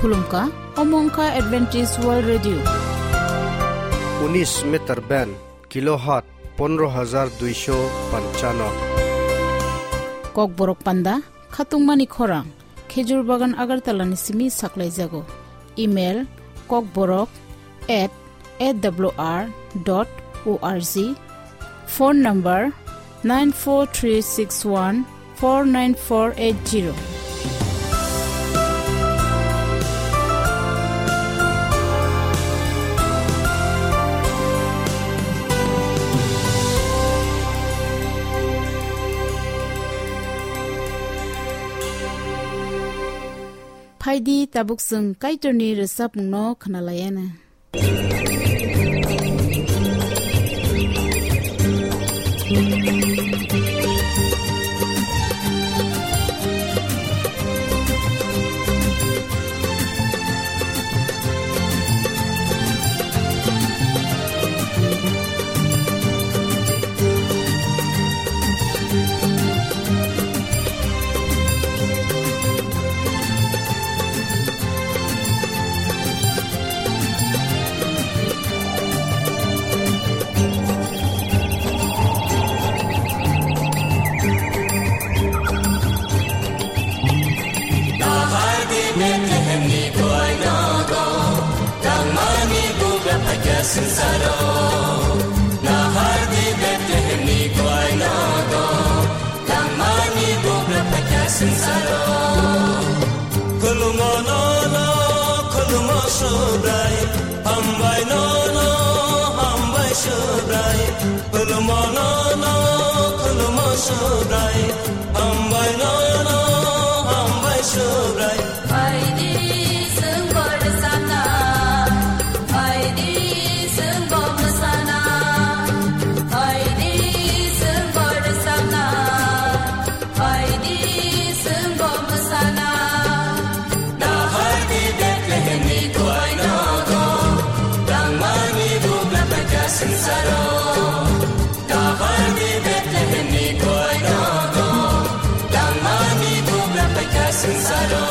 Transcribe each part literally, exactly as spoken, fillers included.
Khulumkha, omo wngkha Adventist World Radio. Unis meter band, kilohertz pondro hajar duisho panchano. Kokborok panda, khatungmani khorang, Khejur Bagan Agartala ni simi saklaijago. Email, kokborok at A W R dot O R G. Phone number, nine four three six one four nine four eight zero. Phaidi tabuk chwng Kaitorni rwchapmungno khwnalaiana. Nahar di Bethlehem ni kwai nogo, tangmani bugra phaikha swngcharo. Nahar di Bethlehem ni kwai nogo, tangmani bugra phaikha swngcharo. Khulumo nono, khulumo Subrai, hambai nono, hambai Subrai. Khulumo nono, khulumo Subrai, hambai nono, hambai Subrai. Phaidi chwng bo rwchapna, phaidi chwng bo mwsana, phaidi chwng bo rwchapna, phaidi chwng bo mwsana. Nahar di Bethlehem ni kwai nogo, tangmani bugra phaikha swngcharo. Nahar di Bethlehem ni kwai nogo, tangmani bugra phaikha swngcharo.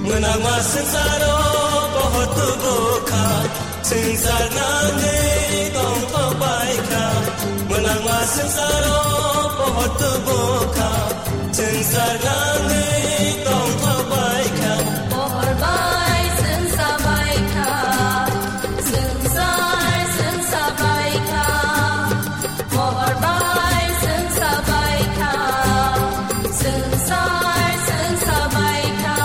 Mwnangma swngcharo pohor tubu kha, swngchar nangwi tongthok bai kha. Mwnangma swngcharo pohor tubu kha, swngchar nangwi tongthok bai kha. Pohor bai swngcha bai kha, swngchar swngcha bai kha. Pohor bai swngcha bai kha, swngchar swngcha bai kha.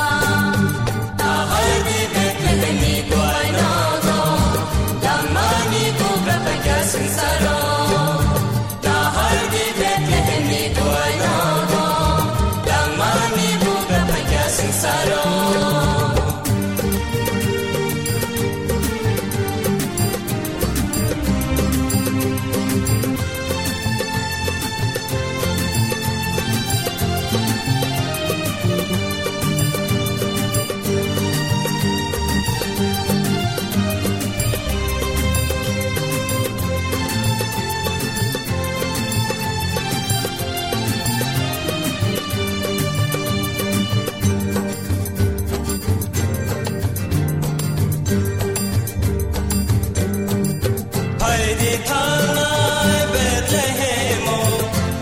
Nahar di Bethlehem ni kwai nogo, tangmani bugra phaikha swngcharo. Nahar di Bethlehem ni kwai nogo, tangmani bugra phaikha swngcharo. Phaidi thangnai Bethlehemo,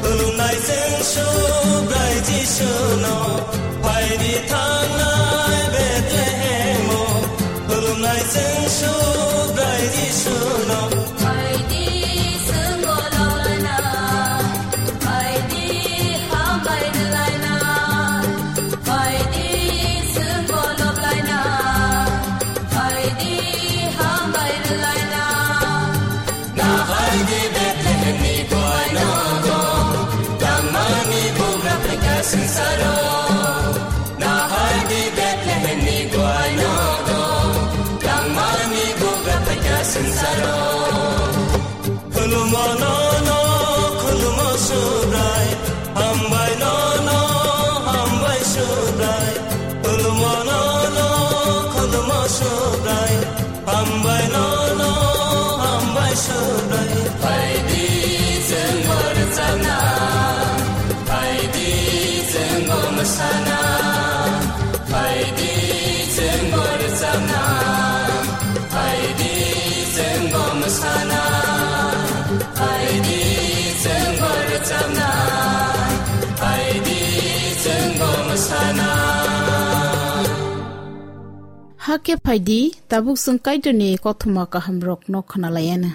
khulumnai chwng Subrai Jisuno. Phaidi thangnai Bethlehemo, khulumnai chwng Subrai Jisuno. Phaidi chwng bo loklaina, phaidi hambai rwlaina, phaidi chwng bo loklaina, phaidi hambai rwlaina. Nahar di Bethlehem ni kwai nogo, tangmani bugra phaikha swngcharo. Nahar di Bethlehem ni kwai nogo, tangmani bugra phaikha swngcharo. Khulumo no Hakhe phaidi, tabuk chwng Kaitorni kothoma kahamrokno khwnalaianw.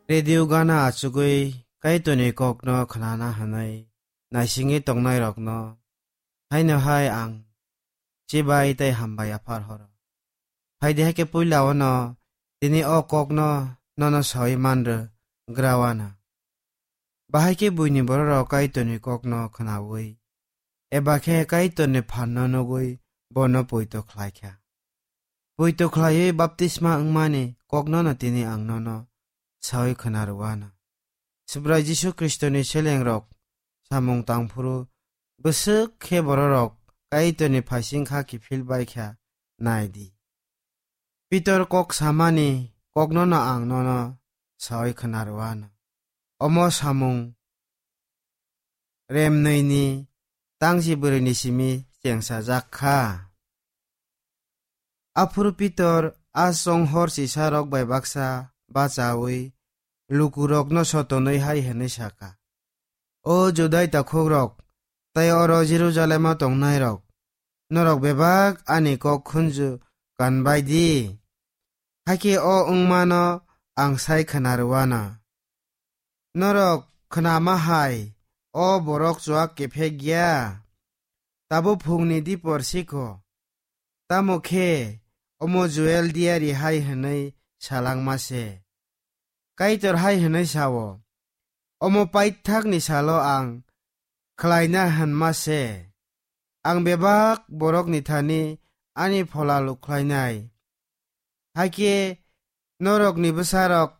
Radio gana achugwi Kaitorni kokno khnana hwnwi naisingwi tongnairokno haino hai ang chibai tei hambai aphar horo. Phaidi hai khe puila ono tini o kokno nono sawi manrw grawana. Bahai khe buini bororok Kaitorni kokno khnaui, eba khe Kaitorni phanno nugwi bono poito khlai kha. Poito khlaiwi baptisma wngmani koknono tini ang nono sawi khna rwano. Subrai Jisu Khristoni selengrok samung tangphuru bwswk khe bororok Kaitorni phaising kha kiphil bai kha nai di. Pitor kok samani koknono ang nono sawi khna rwano. Omo samung remnwini tangchi bwrwini simi chengsajak kha. Aphuru Pitor a chonghor chisarok bai baksa bachaui lukurokno sotonwi hai hwnwi sakha, "O Judai takhukrok tei oro Jerusalemo tongnairok, norok bebak ani kok khunju kanbai di, hakhe o wngmano ang sai khna rwano. Norok khnama hai o borok chuak kephek ya? Tabuk phungni dipor sikho, tamo khe omo Joel diari hai hwnwi salangma se. Kaitor hai hwnwi sao, omo paithakni salo ang khlaina hwnma se. Ang bebak borokni thani ani phola lukhlainai. Hakhe norokni bwsarok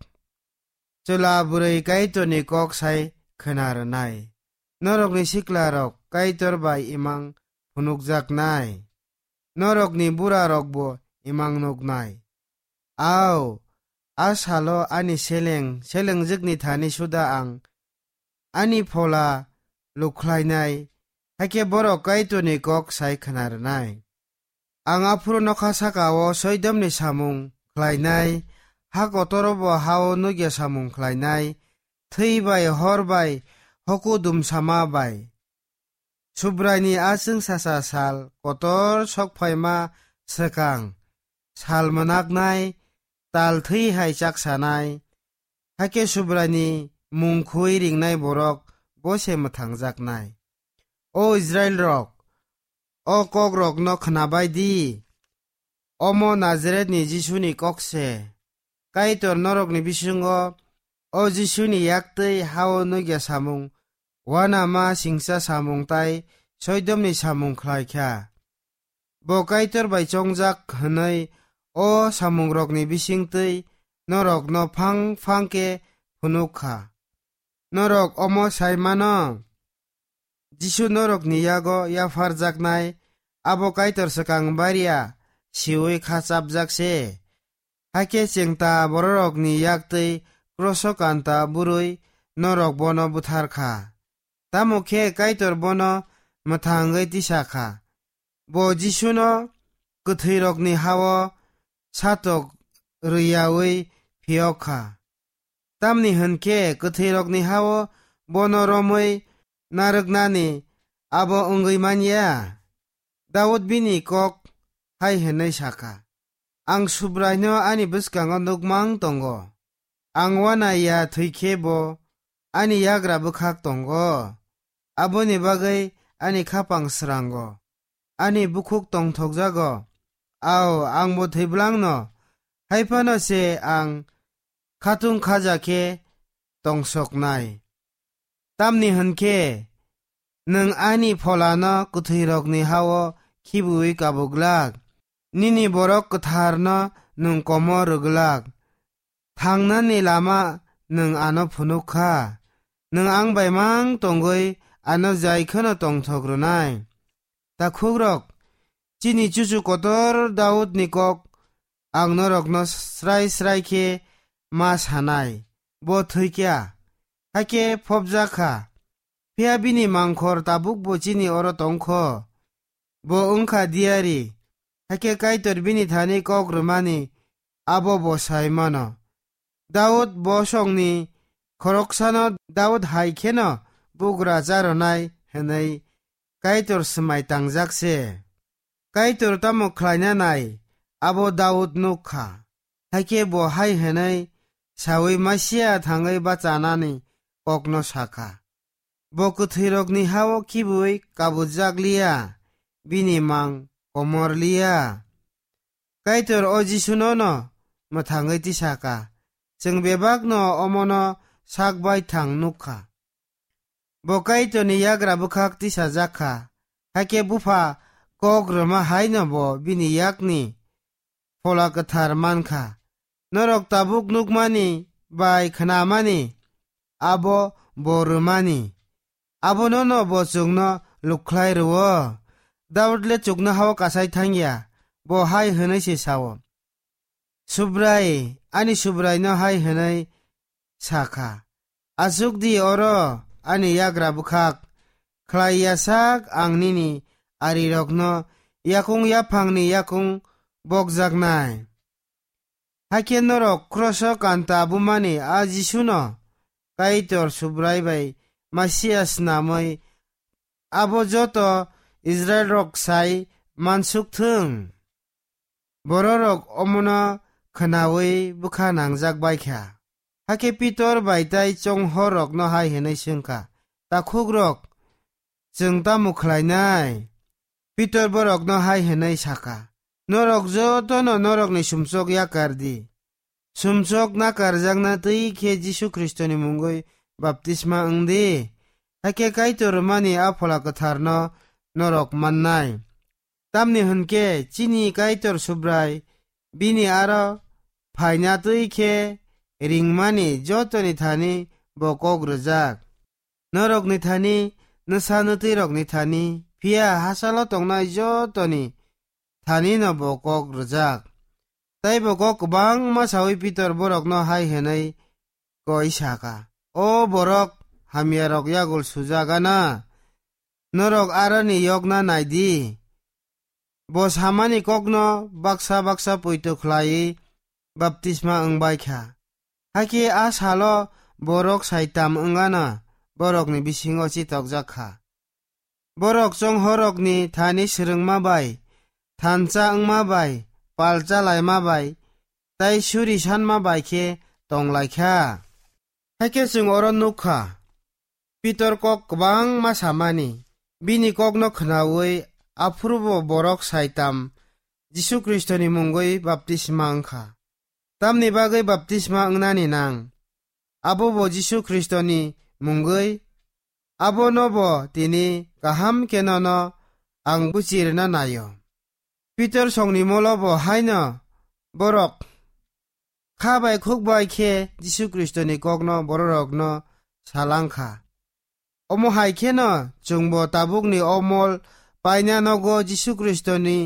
chwla bwrwi Kaitorni kok sai khna rwnai. Norokni siklarok Kaitor bai imang phunukjaknai. Norokni burarokbo imang nuknai. Au, a salo ani seleng selengjwkni thani suda ang ani phola lukhlainai, hakhe borok Kaitorni kok sai khna rwnai. Ang aphuru nokha saka-o soidomni samung khlainai, ha kotoro bo ha-o nukya samung khlainai, thwi bai hor bai hoku dumsama bai. Subraini a chwngsacha sal kotor sokphaima swkang, sal mwnaknai, tal thwi hai chaksanai, hakhe Subraini mung khui ringnai borok bo se mwthangjaknai. O Israilrok, o kokrokno khnabai di. Omo Nazaretni Jisuni kok se. Kaitor norokni bisingo o Jisuni yaktwi ha-o nukya samung, uanama singcha samung tai soidomni samung khlai kha. Bo Kaitor bai chongjak hwnwi o samungrokni bisingtwi norokno phang phang khe phunuk kha. Norok omo sai mano? Jisu norokni yago yapharjaknai, abo Kaitor swkang baria siui kha chapjak se. Hakhe chengta bororokni yaktwi kroso kanta bwrwi norok bono buthar kha. Tamo khe Kaitor bono mwthangwi tisa kha. Bo Jisuno kwthwirokni ha-o satok rwyaui phiyok kha. Tamni hwn khe kwthwirokni ha-o bono romwi narwknani abo wngwi man ya. Daud bini kok hai hwnwi sa kha, "Ang Subraino ani bwskango nukmang tongo. Ang uanai ya thwi khe bo ani yagra bwkhak tongo. Aboni bagwi ani khapang srango, ani bukhuk tongthokjago. Ao, ang bo thwi bwlangno, hai phano se ang khatung khaja khe tongsoknai. Tamni hwn khe nwng ani pholano kwthwirokni ha-o khibiui kabu glak, nini borok kwtharno nwng komo rw glak. Thangnani lama nwng ano phunuk kha. Nwng ang bai mang tongwi ano jai kheno tongthok rwnai." Takhukrok, chini chuchu kotor Daudni kok ang norokno srai srai khe ma sanai, bo thwi kha, hakhe phobjak kha. Phiya bini mangkhor tabukbo chini oro tong kho. Bo wng kha diyari, hakhe Kaitor bini thani kok rwmani abo bo sai mano. Daud bosongni khoroksano Daud hai kheno bugra charonai hwnwi Kaitor swmai tangjak se. Kaitor tamo khlaina nai, abo Daud nuk kha. Hakhe bo hai hwnwi saui Masia thangwi bachanani kokno sakha. Bo kwthwirokni hao khibui kabujak liya, bini mang komor liya. Kaitor o Jisuno no mwthangwi tisaka. Chwng bebakno omono sak bai thang nuk kha. Bo Kaitorni yagra bwkhak tisajak kha. Hakhe Bupha kok rwma haino bo bini yakni Phola Kwthar man kha. Norok tabuk nukmani bai khnamani abo bo rwmani. Abono no bo chwngno lukhlai rwo. Daud le chuknohao kasai thangya. Bo hai hwnwi se sao, Subrai, ani Subraino hai hwnwi sakha, "Achuk di oro ani yagra bwkhak, khlai ya sak ang nini arirokno yakung yaphangni yakung bokjaknai." Hakhe norok kroso kanta bumani a Jisuno Kaitor Subrai bai Masia snamwi abo joto Israilrok sai mansuk thung. Bororok omono khnaui bwkha nangjak bai kha. Hakhe Pitor bai tai chonghorrokno hai hwnwi swng kha, "Takhukrok, chwng tamo khlainai?" Pitor borokno hai hwnwi sa kha, "Norok jotono norokni sumsok yakar di. Sumsok nakarjakna twi khe Jisu Khristoni mungwi baptisma wng di. Hakhe Kaitor rwmani a Phola Kwtharno norok mannai. Tamni hwn khe chini Kaitor Subrai bini aro phaina twi khe ringmani jotoni thani bo kok rwjak. Norokni thani, nwsa nwtwirokni thani, phiya hachalo tongnai jotoni thanino bo kok rwjak." Tei bo kok kwbangma saui Pitor borokno hai hwnwi koi sa kha, "O borok hamyarok yagul sujak ana, norok aroni yokna nai di. Bo samani kokno baksa baksa poito khlaiwi baptisma wng bai kha. Hakhe a salo borok saitam wng ano borokni bisingo chitokjak kha. Borok chonghorrokni thani swrwngma bai, thansa wngma bai, palcha laima bai, tei suri sanma bai khe tong lai kha." Hakhe chwng oro nuk kha, Pitor kok kwbangma samani, bini kokno khnaui aphuru bo borok saitam Jisu Khristoni mungwi baptisma wng kha. Tamni bagwi baptisma wngnani nang? Abo bo Jisu Khristoni mungwi, abono bo tini kaham khe nono ang buchi rwna naio. Pitor songni molo bo haino borok kha bai khuk bai khe Jisu Khristoni kokno bororokno salang kha. Omo hai kheno chwngbo tabukni o mol paina nogo Jisu Khristoni,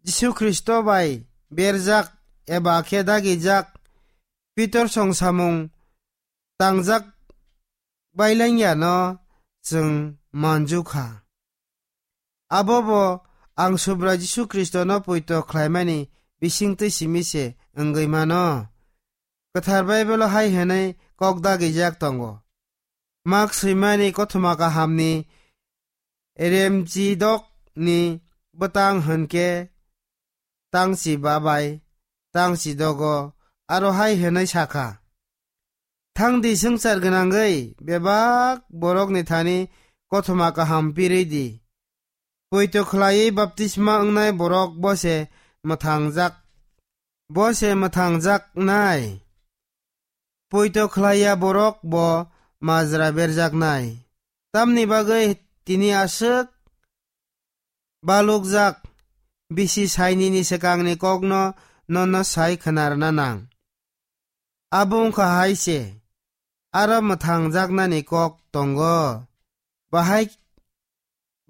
Jisu Khristo bai berjak eba khe dagijak Pitor song samung tangjak bailangyano chwng manju kha. Abo bo ang Subrai Jisu Khristono poito khlaimani bisingtwi simi se wngwi mano. Kwthar Baibelo hai hwnwi kok dagijak tongo, "Mak swimani kothoma kahamni remchidokni bwtang hwn khe tangchi ba bai tangchi dogo," aro hai hwnwi sa kha, "Thang di, swngchar gwnangwi bebak borokni thani kothoma kaham pirwi di. Poito khlaiwi baptisma wngnai borok bo se mwthangjak, bo se mwthangjaknai. Poito khlaiya borok bo majra berjaknai. Tamni bagwi tini aswk balukjak, bisi sainini swkangni kokno nono sai khna rwna nang. Abo wngkha hai se, aro mwthangjaknani kok tongo. Bahai,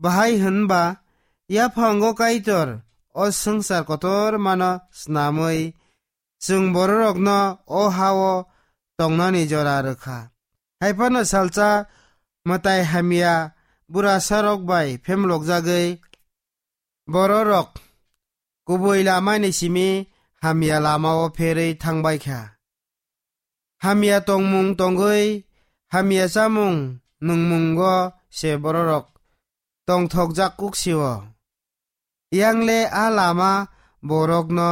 bahai hwnba, yaphango Kaitor o swngchar kotormano snamwi, chwng bororokno o ha-o tongnani jora rwkha. Haiphano salsa mwtai hamya burasarok bai phemlokjagwi bororok kubui lamani simi hamya lamao pherwi thangbai kha. Hamya tongmung tongwi hamya chamung nungmungo se bororok tongthokjak kuk sio. Yangle a lama borokno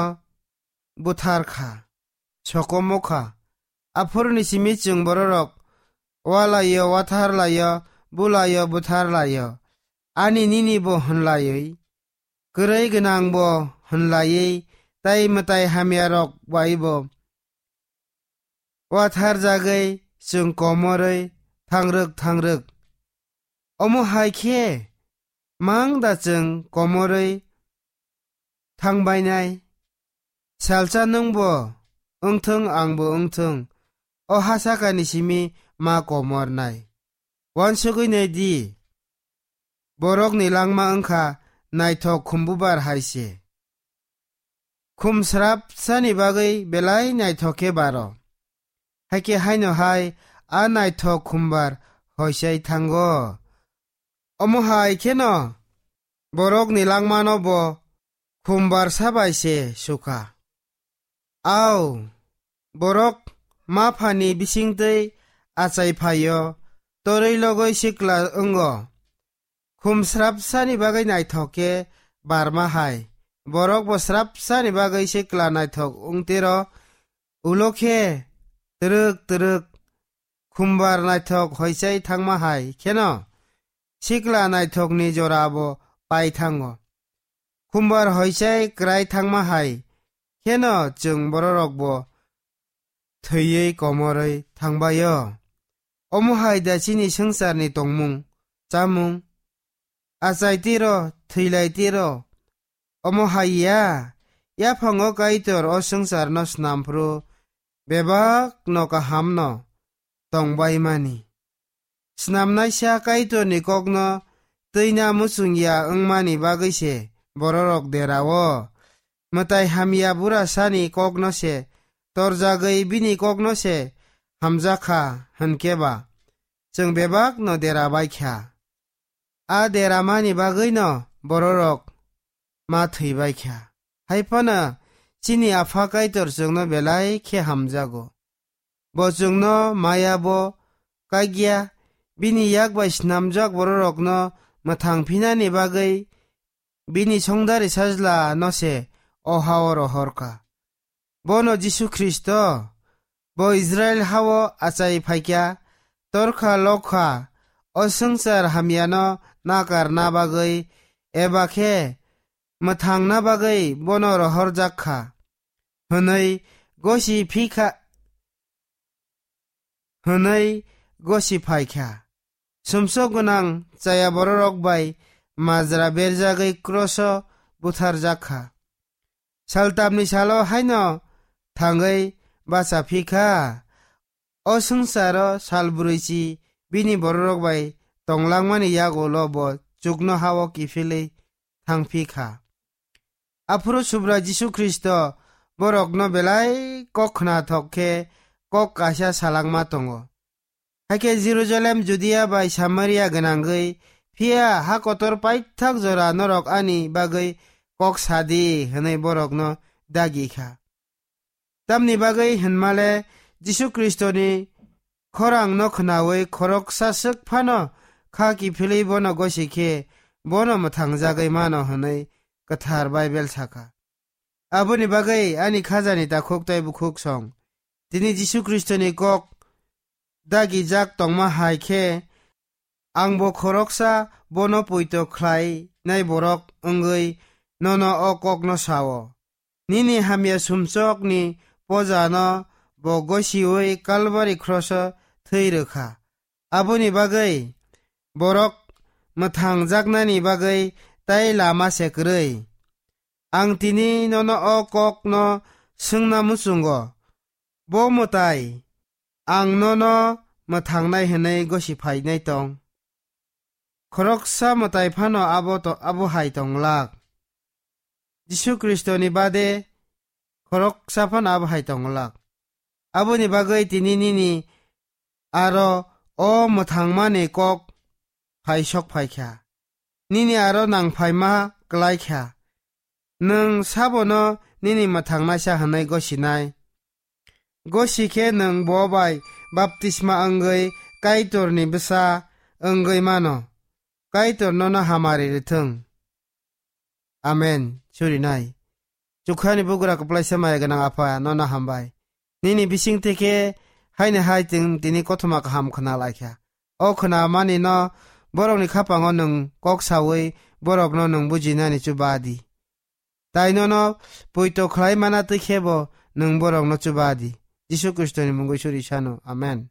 buthar kha, sokomok kha. Aphuruni simi chwng bororok walaio, watharlaio, bulaio, butharlaio. Ani nini bo hwnlaiwi, kwrwi gwnang bo hwnlaiwi, tei mwtai hamyarok bai bo watharjagwi chwng komorwi thangrwk thangrwk. Omo hai khe mang da chwng komorwi thangbainai? Salsa nwngbo wngthung, angbo wngthung, o ha sakani simi ma komornai. Uansugwi nai di, borokni langma wngkha naithok khumbubar hai se. Khum srapsani bagwi belai naithok khe baro. Hakhe haino hai a naithok khumbar hoisai thango. Omo hai kheno borokni langmano bo khumbar sabai se sukha. Au, borok maphani bisingtwi achai phaio, torwi logwi sikla wngo. Khum srapsani bagwi naithok khe barma hai, borok bo srapsani bagwi sikla naithok wngtero, ulo khe twrwk twrwk khumbar naithok hoisai thangma hai kheno sikla naithokni jora bo pai thango. Khumbar hoisai kwrai thangma hai kheno chwng bororok bo thwiwi komorwi thangbaio. Omo hai da chini swngcharni tongmung, chamung? Achai tiro, thwilai tiro. Omo hai ya, yaphango Kaitor o swngcharno snam phuru bebakno kahamno tongbaimani. Snamnaisa Kaitorni kokno twina muchungya wngmani bagwi se bororok derao. Mwtai hamya burasani kokno se torjagwi bini kokno se hamjakha hwnkhe ba chwng bebakno dera bai kha. A deramani bagwino bororok ma thwi bai kha. Hai phano chini Apha Kaitor chwngno belai khe hamjago. Bo chwngno maya bo kagya, bini yak bai snamjak bororokno mwthang phinani bagwi bini songdari sajla no se o hao rohor kha. Bono Jisu Khristo, bo Israil hao achai phaikha, torkha lokha, o swngchar hamyano nakarna bagwi, eba khe mwthangna bagwi bono rohorjak kha, hwnwi gosi phikha, hwnwi gosi phaikha. Sumsok gwnang chaya bororok bai majra berjagwi kroso butharjak kha. Saltamni salo haino thangwi bacha phikha. O swngcharo sal brwichi bini bororok bai tonglangmani yagulo bo chukno hao kiphilwi thangphi kha. Aphuru Subrai Jisu Khristo borokno belai kok khnathok khe kok kaisa salangma tongo. Hakhe Jerusalem, Judia bai Samaria gwnangwi, phiya ha kotor paithak jora norok ani bagwi kok sadi, hwnwi borokno dagi kha. Tamni bagwi hwnmale Jisu Khristoni khorangno khnaui khoroksa swk phano kha kiphilwi bono gosi khe bono mwthangjagwi mano hwnwi Kwthar Baibel sakha. Aboni bagwi ani khajani takhuk tei bukhuk song. Tini Jisu Khristoni kok dagijak tongma hai khe, angbo khoroksa bono poito khlainai borok wngwi nono o kokno sao. Nini hamya sumsokni pojano bo gosiui Kalbari kroso thwi rwkha. Aboni bagwi borok mwthangjaknani bagwi tai lama se kwrwi. Ang tini nono o kokno swngna muchungo, bo mwtai ang nono mwthangnai hwnwi gosi phainai tong? Khoroksa mwtai phano abo to-, abo hai tong glak. Jisu Khristoni bade khoroksa phano abo hai tong glak. Aboni bagwi tini nini aro o mwthangmani kok phai sok phai kha. Nini aro nang phaima klai kha. Nwng sabono nini mwthangnaisa hwnwi gosinai. Gosi khe nwng bo bai baptisma wngwi Kaitorni bwsa wngwi mano. Kaitor nono hamari rwthwng. Amen. Surinai. Chukhrani bugra kwplaisa maya gwnang Apha, nono hambai. Nini bisingtwi khe haini hai chwng tini kothoma kaham khna laikha. O khna mani no borokni khapango nwng kok sawi borokno nwng bujinani chuba di. Tai nono poito khlai mana twi khe bo nwng borokno chuba di. Jisu Khristoni mungwi suri sano. Amen.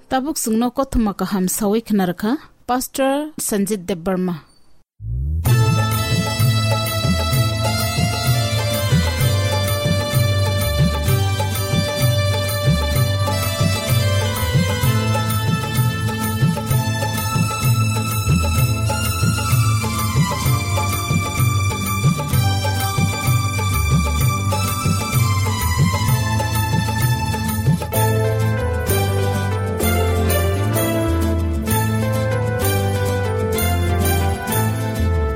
Tabuk chwngno kothoma kaham sawi khna rwkha Pastor Sanjit Debbarma.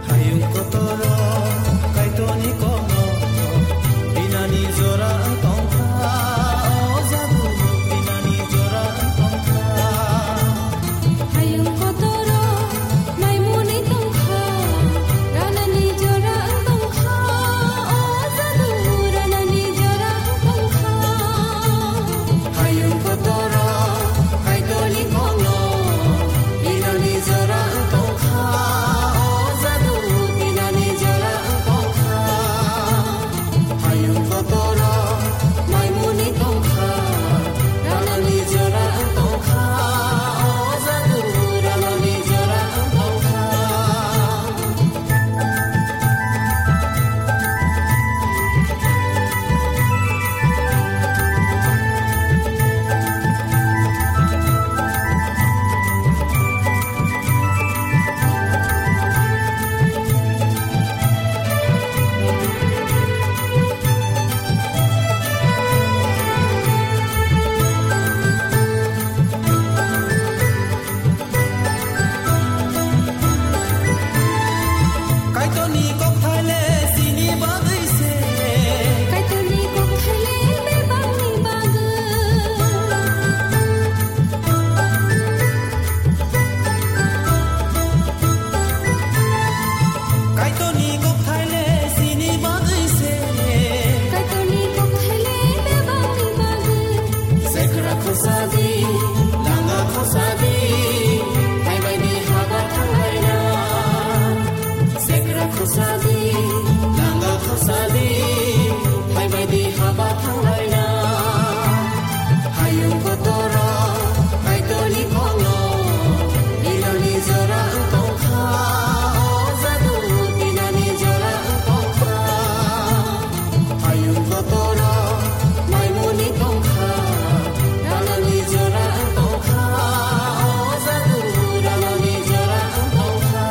Hayung kotoro Kaitorni kokno binani jora wng tongkha, o jadu binani jora wng tongkha. Hayung kotoro naimuni tongkha, ranani jora wng tongkha, o jadu ranani jora wng tongkha. Hayung kotoro Kaitorni kokno binani jora wng tongkha, o jadu binani jora wng tongkha. Hayung kotoro maimuni tongkha, ranani jora wng tongkha, o jadu ranani jora wng tongkha. Kaitorni kokthai le chini bagwi se. Kaitorni kokthai le bebakni bagwi. Kaitorni kokthai le chini bagwi se. Kaitorni kokthai le bebakni bagwi. Sekra khosadi, langa khosadi, hai bai di haba thanglaina. Sekra khosadi, langa khosadi, hai bai di haba thanglaina. Hayung kotoro Kaitorni kokno binani jora wng tongkha, o jadu binani jora wng tongkha. Hayung kotoro maimuni tongkha, ranani jora wng tongkha, o jadu ranani jora wng tongkha.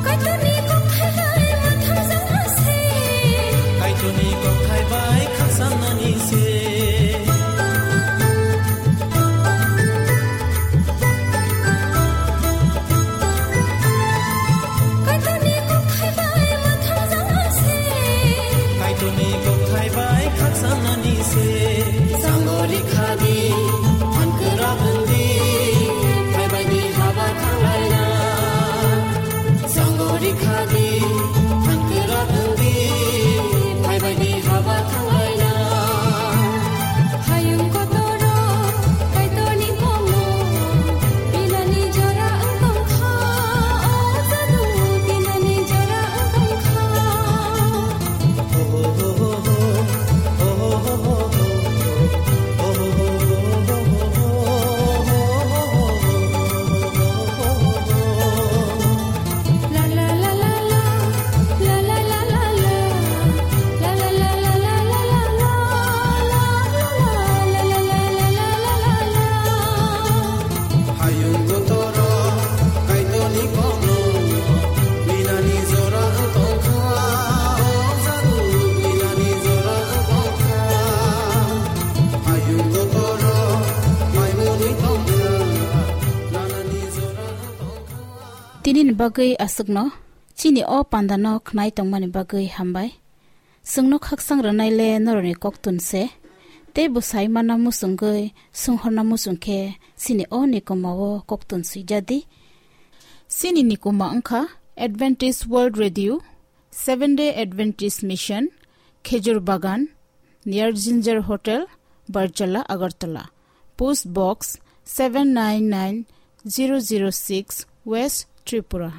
Kaitorni kokthai bai mwthangjakna se. Kaitorni kokthai bai khakchangnani se. Kaitorni kokthai bai mwthangjakna se. Kaitorni kokthai bai khakchangnani se. Sangori khadi, phan kwrak wngdi, hai bai di haba thanglaina. Sangori khadi, phan kwrak wngdi, hai bai di haba thanglaina. Hayung kotoro Kaitorni kokno binani jora wng tongkha, o jadu binani jora wng tongkha. Nini bagwi aswkno chini o pandano khnai tongmani bagwi hambai. Chwngno khaksang rwnaile norokni koktun se, tei bwsai mana muchungwi swnghorna muchung khe chini o nikuma o koktun swijadi. Chini nikuma wngkha Adventist World Radio, Seventh Day Adventist Mission, Khejur Bagan, near Ginger Hotel, Barjala, Agartala. Post Box seven nine nine zero zero six, West Tripura.